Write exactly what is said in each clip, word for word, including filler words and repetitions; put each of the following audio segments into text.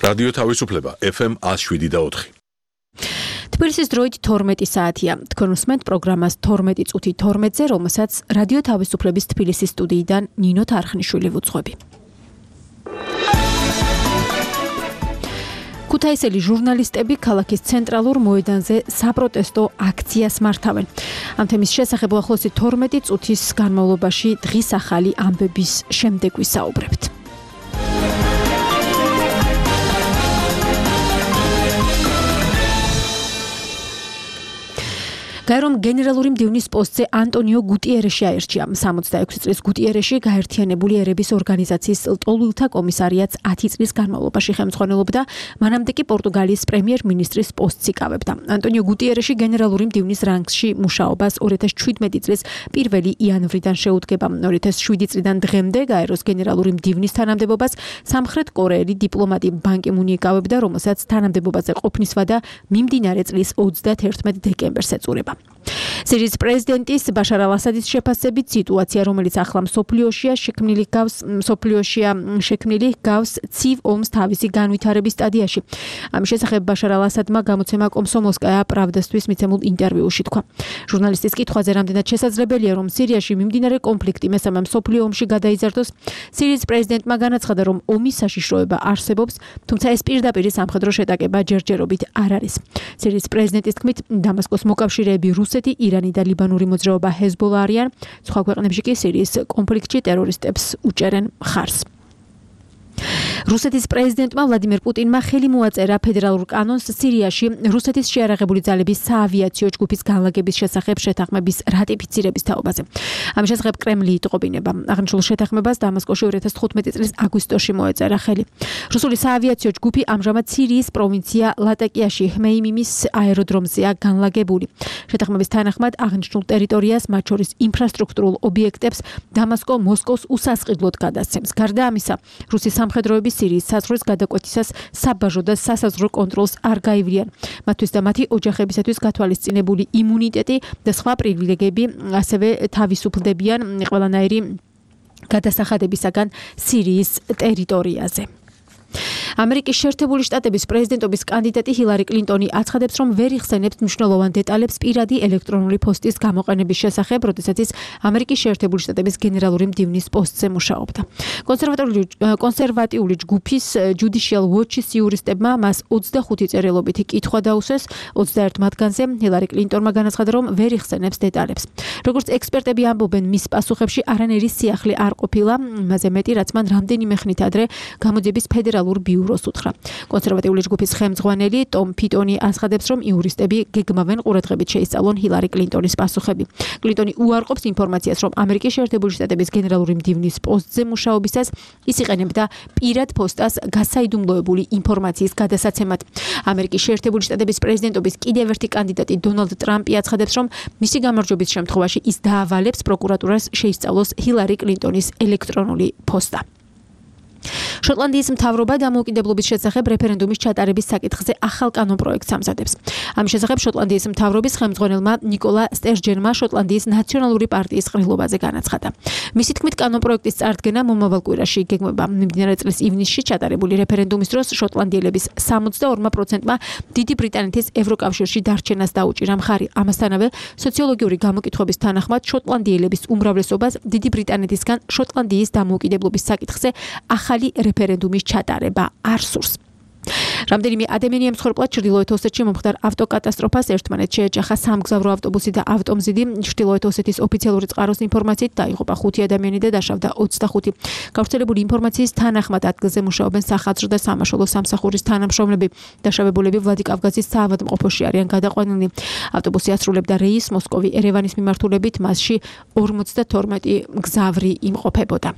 რადიო თავისუფლება ეფ ემ one oh seven და four. თბილისის დროით თორმეტი საათია. თქვენ უსმენთ პროგრამას თორმეტი წუთი თორმეტზე, რომელსაც რადიო თავისუფლების თბილისის სტუდიიდან ნინო თარხნიშვილი ვუძღვები. ქუთაისელი ჟურნალისტები ქალაქის ცენტრალურ მოედანზე საპროტესტო აქციას მართავენ. ამ თემის შესახებ ახლოსი თორმეტი წუთის განმავლობაში დღის ახალი ამბების შემდეგ ვისაუბრებთ. გაერომ გენერალური მდივნის პოსტზე ანტონიო გუტიერეში აერჩია. სამოცდაექვსი წლის გუტიერეში გაერთიანებული ერების ორგანიზაციის ლტოლვილთა კომისარიატს ათი წლის განმავლობაში ხელმძღვანელობდა, მანამდე კი პორტუგალიის პრემიერ-მინისტრის პოსტს იკავებდა. ანტონიო გუტიერეში გენერალური მდივნის რანგში მუშაობას ორი ათას შვიდმეტი წლის პირველი იანვრიდან შეუდგება. ორი ათას შვიდი წლიდან დღემდე გაეროს გენერალური მდივნის თანამდებობას სამხრეთ კორეელი დიპლომატი ბან კი მუნი იკავებდა, რომელსაც თანამდებობაზე ყოფნის ვადა მიმდინარე წლის ოცდაათერთმეტ დეკემბერს ეწურება. სირიის პრეზიდენტის ბაშარ ალ-ასადის შეფასებით სიტუაცია, რომელიც ახლა მსოფლიოშია შექმნილი გავს მსოფლიოშია შექმნილი გავს ცივ ომს თავისი განვითარების სტადიაში. ამის შესახებ ბაშარ ალ-ასადმა გამოცემა კომსომოლსკაია პრავდასთვის მიცემულ ინტერვიუში თქვა. ჟურნალისტის კითხვაზე, რამდენად შესაძლებელია, რომ სირიაში მიმდინარე კონფლიქტი მესამე მსოფლიო ომში გადაიზარდოს, სირიის პრეზიდენტმა განაცხადა, რომ ომის საშიშროება არსებობს, თუმცა ეს პირდაპირი სამხედრო შეტაკება ჯერჯერობით არ არის. სირიის პრეზიდენტის თქმით, დამასკოს მოკავშირეები რუსეთი, ირანი და ლიბანური მოძრაობა ჰეზბოლა არიან, სხვა ქვეყნებში კი სირიის კონფლიქტში ტერორისტებს უჭერენ მხარს. რუსეთის პრეზიდენტმა ვლადიმერ პუტინმა ხელი მოაწერა ფედერალურ კანონს სირიაში რუსეთის შეიარაღებული ძალების საავიაციო ჯგუფის განლაგების შესახებ შეთანხმების რატიფიცირების თაობაზე. ამის შესახებ კრემლი იტყობინება. აღნიშნულ შეთანხმებას დამასკოში ორი ათას თხუთმეტი წლის აგვისტოში მოეწერა ხელი. რუსული საავიაციო ჯგუფი ამჟამად სირიის პროვინცია ლატაკიაში ჰმეიმიმის აეროდრომზეა განლაგებული. შეთანხმების თანახმად აღნიშნულ ტერიტორიას, მათ შორის ინფრასტრუქტურულ ობიექტებს, დამასკო მოსკოვს უსასყიდლოდ გადასცემს. გარდა ამისა, რუსის სამხედროები სირიის საზღვრის გადაკვეთისას საბაჟო და სასაზღვრო კონტროლს არ გაივლიან. მათთვის და მათი ოჯახებისათვის გათვალისწინებული იმუნიტეტი და სხვა პრივილეგიები ასევე თავისუფლდებიან ყველანაირი გადასახადებისაგან სირიის ტერიტორიაზე. ამერიკის შეერთებული შტატების პრეზიდენტობის კანდიდატი ჰილარი კლინტონი აცხადებს, რომ ვერ იხსენებს მნიშვნელოვან დეტალებს პირადი ელექტრონული პოსტის გამოყენების შესახებ, როდესაც ის ამერიკის შეერთებული შტატების გენერალური მდივნის პოსტზე მუშაობდა. კონსერვატიული კონსერვატიული ჯგუფის Judicial Watch-ის იურისტებმა მას ოცდახუთი წერილობითი კითხვა დაუსვეს. ოცდაერთ მათგანზე ჰილარი კლინტონმა განაცხადა, რომ ვერ იხსენებს დეტალებს. როგორც ექსპერტები ამბობენ, მის პასუხებში არანაირი სიახლე არ ყოფილა, იმაზე მეტი, რაც მან რამდენიმე ხნით ადრე გამოძიების ფედერალურ ბიუროს უთხრა. კონსერვატიული ჯგუფის ხელმძღვანელი ტომ ფიტონი აცხადებს, რომ იურისტები გეგმავენ ყურადღებით შეისწავლონ ჰილარი კლინტონის პასუხები. კლინტონი უარყოფს ინფორმაციას, რომ ამერიკის შეერთებული შტატების გენერალური მდივნის პოსტზე მუშაობისას ის იყენებდა პირად პოსტას გასაიდუმლოებული ინფორმაციის გადასაცემად. ამერიკის შეერთებული შტატების პრეზიდენტობის კიდევ ერთი კანდიდატი დონალდ ტრამპი აცხადებს, რომ მისი გამარჯვების შემთხვევაში ის დაავალებს პროკურატურას შეისწავლოს ჰილარი კლინტონის ელექტრონული პოსტა. შოტლანდიის მთავრობა დამოუკიდებლობის შესახებ რეფერენდუმის ჩატარების საკითხზე ახალ კანონპროექტს ამზადებს. ამის შესახებ შოტლანდიის მთავრობის ხელმძღვანელმა ნიკოლა სტერჯენმა შოტლანდიის ნაციონალური პარტიის ყრილობაზე განაცხადა. მისი თქმით, კანონპროექტის წარდგენა მომავალ კვირაში იგეგმება. მიმდინარე წლის ივნისში ჩატარებული რეფერენდუმის დროს შოტლანდიელების სამოცდაორმა პროცენტმა დიდი ბრიტანეთის ევროკავშირში დარჩენას დაუჭირა მხარი. ამასთანავე, სოციოლოგიური გამოკითხვების თანახმად შოტლანდიელების უმრავლესობას დიდი ბრიტანეთისგან შოტლანდიის დამოუკიდებლობის საკითხზე ახალი რეფერენდუმის ჩატარება არ სურს. რამდენიმე ადამიანი ემსხვერპლა ჩრდილოეთ ოსეთში მომხდარ ავტოკატასტროფას. ერთმანეთს შეეჯახა სამგზავრო ავტობუსი და ავტომზიდი. ჩრდილოეთ ოსეთის ოფიციალური წყაროს ინფორმაციით დაიღუპა ხუთი ადამიანი და დაშავდა ოცდახუთი. გავრცელებული ინფორმაციის თანახმად ადგილზე მუშაობენ სახაზრო და სამაშველო სამსახურის თანამშრომლები. დაშავებულები ვლადიკავკაზის საავადმყოფოში არიან გადაყვანილნი. ავტობუსი ასრულებდა რეისს მოსკოვი ერევანის მიმართულებით, მასში ორმოცდათორმეტი მგზავრი იმყოფებოდა.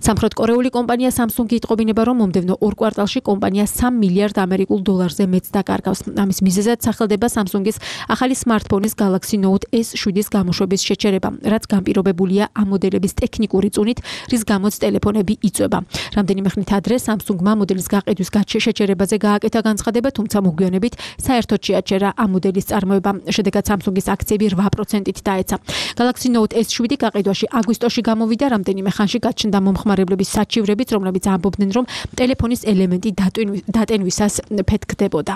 სამხრეთ კორეული კომპანია Samsung იტყობინება, რომ მომდევნო ორ კვარტალში კომპანია სამ მილიარდ ამერიკულ დოლარზე მეტს დაკარგავს. ამის მიზეზად სახელდება Samsung-ის ახალი smartphone-ის Galaxy Note S შვიდის გამოშვების შეჩერება, რაც განპირობებულია ამ მოდელების ტექნიკური წუნით, რის გამოც ტელეფონები იწვება. რამდენიმე ხნით ადრე Samsung-მა მოდელის გაყიდვის შეჩერებაზე გააკეთა განცხადება, თუმცა მოგვიანებით საერთოდ შეაჩერა ამ მოდელის წარმოება. შედეგად Samsung-ის აქციები რვა პროცენტით დაეცა. Galaxy Note S შვიდი გაყიდვაში აგვისტოში გამოვიდა, რამდენიმე ხანში გაჩნდა გაჩნდა მომხმარებლების საჩივრებით, რომლებიც ამბობდნენ, რომ ტელეფონის ელემენტი დატენვისას ფეთქდებოდა.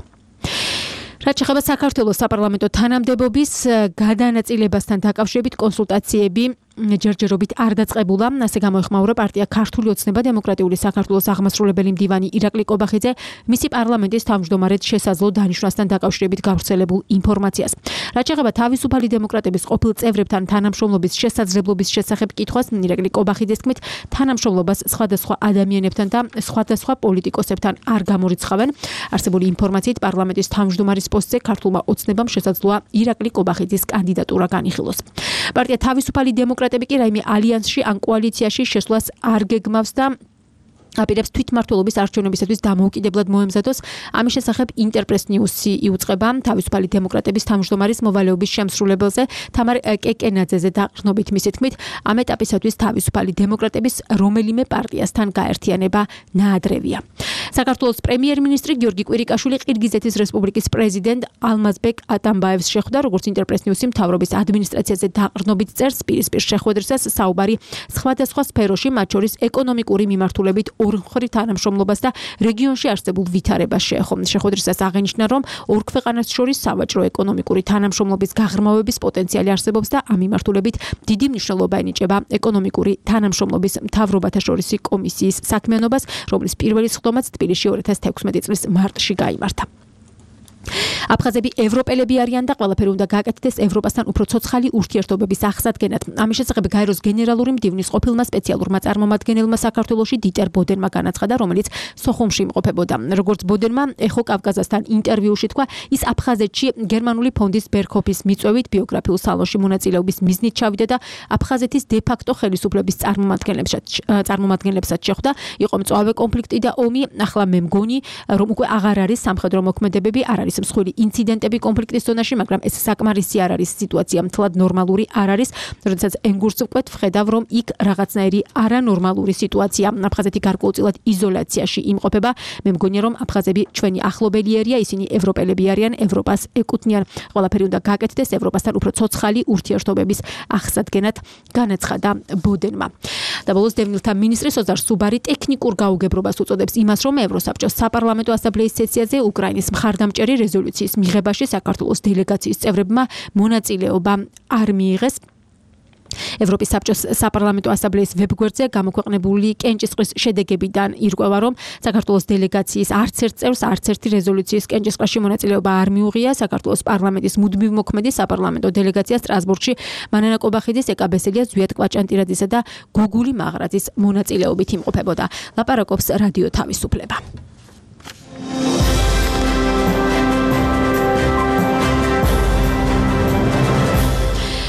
რაც შეეხება საქართველოს საპარლამენტო თანამდებობის გადანაწილებასთან დაკავშირებით კონსულტაციები ჯერჯერობით არ დაწყებულა, ასე გამოეხმაურა პარტია ქართული ოცნება დემოკრატიული საქართველოს აღმასრულებელი მდივანი ირაკლი კობახიძე მისი პარლამენტის თავმჯდომარედ შესაძლო დანიშვნასთან დაკავშირებით გავრცელებულ ინფორმაციას. რაც შეეხება თავისუფალი დემოკრატების ყოფილ წევრებთან თანამშრომლობის შესაძლებლობის შესახებ კითხვას, ირაკლი კობახიძეს თქმით, თანამშრომლობას სხვადასხვა ადამიანებთან და სხვადასხვა პოლიტიკოსებთან არ გამორიცხავენ. არსებული ინფორმაციით პარლამენტის თავმჯდომარის პოსტზე ქართულმა ოცნებამ შესაძლოა ირაკლი კობახიძის კანდიდატურა განიხილოს. პარტია თავისუფალი დემოკრატები კი რაიმე ალიანსში ან კოალიციაში შესვლას არ გეგმავს და აპირებს თვითმმართველობის არჩევნებისათვის დამოუკიდებლად მოემზადოს. ამის შესახებ ინტერპრეს ნიუსი იუწყება თავისუფალი დემოკრატების თავმჯდომარის მოვალეობის შემსრულებელზე თამარ კეკენაძეზე დაყრდნობით მისი თქმით, ამ ეტაპისათვის თავისუფალი დემოკრატების რომელიმე პარტიასთან გაერთიანება ნაადრევია. საქართველოს პრემიერ-მინისტრი გიორგი კვირიკაშვილი ყირგიზეთის რესპუბლიკის პრეზიდენტ ალმაზბეკ ატამბაევს შეხვდა, როგორც ინტერპრეს ნიუსი მთავრობის ადმინისტრაციაზე დაყრდნობით წერს, პირისპირ შეხვედრისას საუბარი სხვადასხვა სფეროში, მათ შორის ეკონომიკური მიმართულებით ორმხრივ თანამშრომლობას და რეგიონში არსებულ ვითარებას შეეხო. შეხვედრისას აღინიშნა, რომ ორ ქვეყანას შორის სავაჭრო ეკონომიკური თანამშრომლობის გაღრმავების პოტენციალი არსებობს და ამ მიმართულებით დიდი მნიშვნელობა ენიჭება ეკონომიკური თანამშრომლობის მთავრობათა შორისი კომისიის საქმიანობას, რომლის პირველი სხდომაც თბილისში ორი ათას თექვსმეტი წლის მარტში გაიმართა. აფხაზები ევროპელები არიან და ყველაფერი უნდა გააკეთდეს ევროპასთან უფრო ცოცხალი ურთიერთობების აღსადგენად. ამის შესახებ გაეროს გენერალური მდივნის ყოფილმა სპეციალურმა წარმომადგენელმა საქართველოში დიტერ ბოდენმა განაცხადა, რომელიც სოხუმში იმყოფებოდა. როგორც ბოდენმა ეხო კავკაზასთან ინტერვიუში თქვა, ის აფხაზეთში გერმანული ფონდის ბერქოფის მიწვევით ბიოგრაფიულ სალონში მონაწილეობის მიზნით ჩავიდა და აფხაზეთის დე-ფაქტო ხელისუფლების წარმომადგენლებსაც შეხვდა. იყო მწვავე კონფლიქტი და ომი, ახლა მე მგონი, რომ უკვე აღარ არის სამხედრო მოქმედებები, არ არის მსხვილი ინციდენტები კონფლიქტის ზონაში, მაგრამ ეს საკმარისი არ არის, სიტუაცია მთლად ნორმალური არ არის. როდესაც ენგურს ვკვეთ, ვხედავ, რომ იქ რაღაცნაირი არანორმალური სიტუაცია. აფხაზეთი გარკვეულწილად იზოლაციაში იმყოფება. მე მგონია, რომ აფხაზები ჩვენი ახლობელიერია, ისინი ევროპელები არიან, ევროპას ეკუთვნიან. ყველაფერი უნდა გააკეთდეს ევროპასთან უფრო ცოცხალი ურთიერთობების აღსადგენად, განაცხადა ბოდენმა. და ბოლოს დევნილთა მინისტრი სოზარ სუბარი ტექნიკურ გაუგებრობას უწოდებს იმას, რომ ევროსაბჭოს საპარლამენტო ასამბლეის სესიაზე უკრაინის მხარდამჭერი რეზოლუციის მიღებაში საქართველოს დელეგაციის წევრებმა მონაწილეობა არ მიიღეს. ევროპის საბჭოს საპარლამენტო ასამბლეის ვებგვერდზე გამოქვეყნებული კენჭისყრის შედეგებიდან ირკვევა, რომ საქართველოს დელეგაციის არც ერთ წევრს არც ერთი რეზოლუციის კენჭისყრაში მონაწილეობა არ მიუღია. საქართველოს პარლამენტის მუდმივ მოქმედი საპარლამენტო დელეგაცია სტრასბურგში მანანა კობახიძის, ეკაბესელია, ზვიად კვაჭანტირაძისა და გოგული მაღრაძის მონაწილეობით იმყოფებოდა. ლაპარაკობს რადიო თავისუფლება.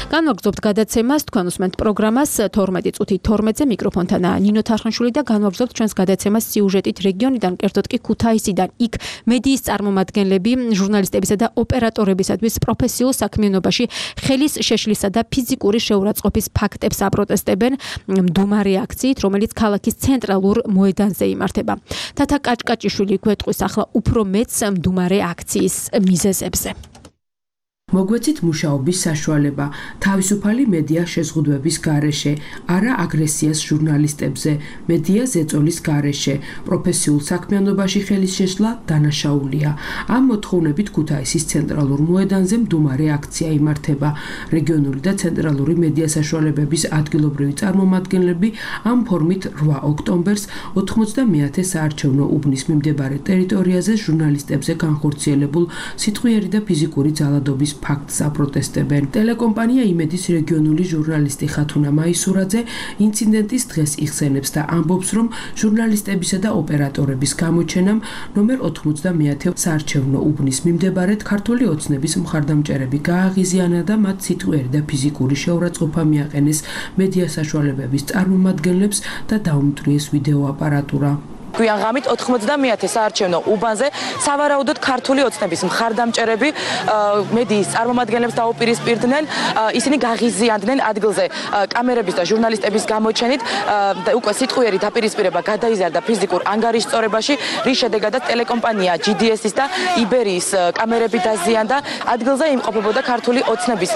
განვაგრძობთ გადაცემას, თქვენ უსმენთ პროგრამას თორმეტი წუთი თორმეტზე, მიკროფონთან ნინო თარხნიშვილი და განვაგრძობთ ჩვენს გადაცემას სიუჟეტით რეგიონიდან, კერძოდ კი ქუთაისიდან. იქ მედიის წარმომადგენლები ჟურნალისტებისა და ოპერატორებისათვის პროფესიულ საქმიანობაში ხელის შეშლისა და ფიზიკური შეურაცხყოფის ფაქტებს აპროტესტებენ მდუმარე აქციით, რომელიც ქალაქის ცენტრალურ მოედანზე იმართება. თათა კაჭკაჭიშვილი გვეტყვის ახლა უფრო მეც მდუმარე აქციის მიზეზებზე. მოგვეცით მუშაობის საშუალება, თავისუფალი მედია შეზღუდვების გარეშე, არა აგრესიას ჟურნალისტებზე, მედია ზეწოლის გარეშე, პროფესიულ საქმიანობაში ხელის შეშლა დანაშაულია. ამ მოთხოვნებით ქუთაისის ცენტრალურ მოედანზე მდუმარე აქცია იმართება. რეგიონული და ცენტრალური მედია საშუალებების ადგილობრივი წარმომადგენლები ამ ფორმით რვა ოქტომბერს ოთხმოცდამეათე საარჩევნო უბნის მიმდებარე ტერიტორიაზე ჟურნალისტებზე განხორციელებულ სიტყვიერი და ფიზიკური ძალადობის ფაქტს აპროტესტებენ. ტელეკომპანია იმედის რეგიონული ჟურნალისტი ხათუნა მაისურაძე ინციდენტის დღეს იხსენებს და ამბობს, რომ ჟურნალისტებისა და ოპერატორების გამოჩენამ ნომერ ოთხმოცდამეათე საარჩევნო უბნის მიმდებარედ ქართული ოცნების მხარდამჭერები გააღიზიანა და მათ სიტყვიერი და ფიზიკური შეურაცხყოფა მიაყენეს მედია საშუალებების წარმომადგენლებს და დაუმტვრიეს ვიდეო აპარატურა. გვიან ღამით ოთხმოცდამეათე საარჩევნო უბანზე სავარაუდოდ ქართული ოცნების მხარდამჭერები მედიის წარმომადგენლებს დაუპირისპირდნენ, ისინი გაღიზიანდნენ ადგილზე კამერების და ჟურნალისტების გამოჩენით და უკვე სიტყვიერი დაპირისპირება გადაიზარდა ფიზიკურ ანგარიშწორებაში, რის შედეგადაც ტელეკომპანია ჯი დი ეს-ის და იბერიის კამერები დაზიანდა. ადგილზე იმყოფებოდა ქართული ოცნების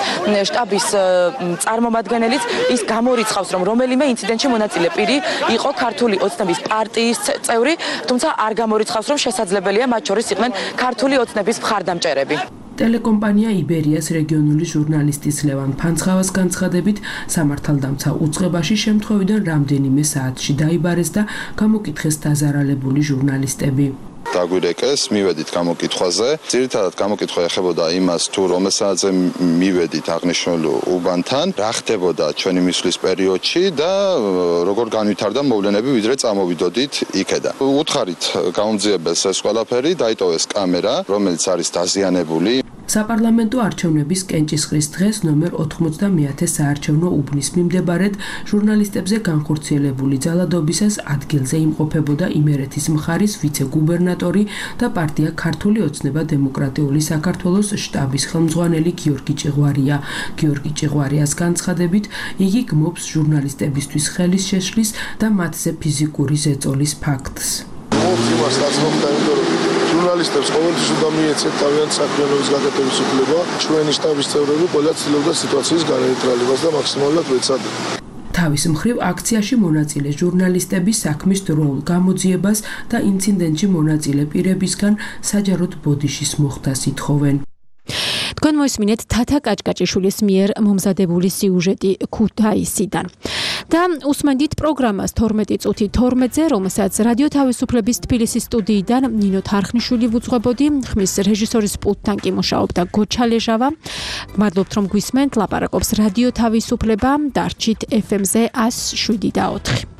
შტაბის წარმომადგენელიც, ის გამორიცხავს, რომ რომელიმე ინციდენტში მონაწილე პირი იყო ქართული ოცნების პარტიის წევრი, თუმცა არ გამორიცხავს, რომ შესაძლებელია მათ შორის იყვნენ ქართული ოცნების მხარდამჭერები. ტელეკომპანია იბერიას რეგიონული ჟურნალისტის ლევან ფანცხავას განცხადებით, სამართალდამცა უწყებაში შემთხვევიდან რამდენიმე საათში დაიბარეს და გამოკითხეს დაზარალებული ჟურნალისტები. დაგვირეკეს, მივედით გამოკითხვაზე. ძირითადად გამოკითხვა ეხებოდა იმას, თუ რომელ საათზე მივედით აღნიშნულ უბანთან, რა ხდებოდა ჩვენი მისვლის პერიოდში და როგორ განვითარდა მოვლენები, ვიდრე წამოვიდოდით იქედან. უთხარით გაუმძიებელს ეს ყველაფერი, დაიტოვეს კამერა, რომელიც არის დაზიანებული. საპარლამენტო არჩევნების კენჭისყრის დღეს ნომერ ოთხმოცდამეათე საარჩევნო უბნის მიმდებარედ ჟურნალისტებზე განხორციელებული ძალადობისას ადგილზე იმყოფებოდა იმერეთის მხარის ვიცე-გუბერნატორი და პარტია ქართული ოცნება დემოკრატიული საქართველოს შტაბის ხელმძღვანელი გიორგი ჭეღვარია. გიორგი ჭეღვარიას განცხადებით, იგი გმობს ჟურნალისტებისთვის ხელის შეშლის და მათზე ფიზიკური ზეწოლის ფაქტს. ჟურნალისტებს ყოველთვის უნდა მიეცეთ თავიანთი საქმიანობის გაკეთების უფლება. ჩვენი შტაბის წევრები ყველა ცდილობდა სიტუაციის განეიტრალებას და მაქსიმალურად ვეცადნენ. თავის მხრივ აქციაში მონაწილე ჟურნალისტები საქმის დროულ გამოძიებას და ინციდენტში მონაწილე პირებისგან საჯაროდ ბოდიშის მოხდას ითხოვენ. თქვენ მოისმინეთ თათა კაჭკაჭიშვილის მიერ მომზადებული სიუჟეტი ქუთაისიდან. და უსმენდით პროგრამას თორმეტი წუთი თორმეტზე, რომელსაც რადიო თავისუფლების თბილისის სტუდიიდან ნინო თარხნიშვილი ვუძღვებოდი, ხმის რეჟისორის პულტთან კი მუშაობდა გოჩა ლეჟავა. მადლობთ რომ გვისმენთ, ლაპარაკობს რადიო თავისუფლება, დარჩით ეფ ემ-ზე ას შვიდი და ოთხი.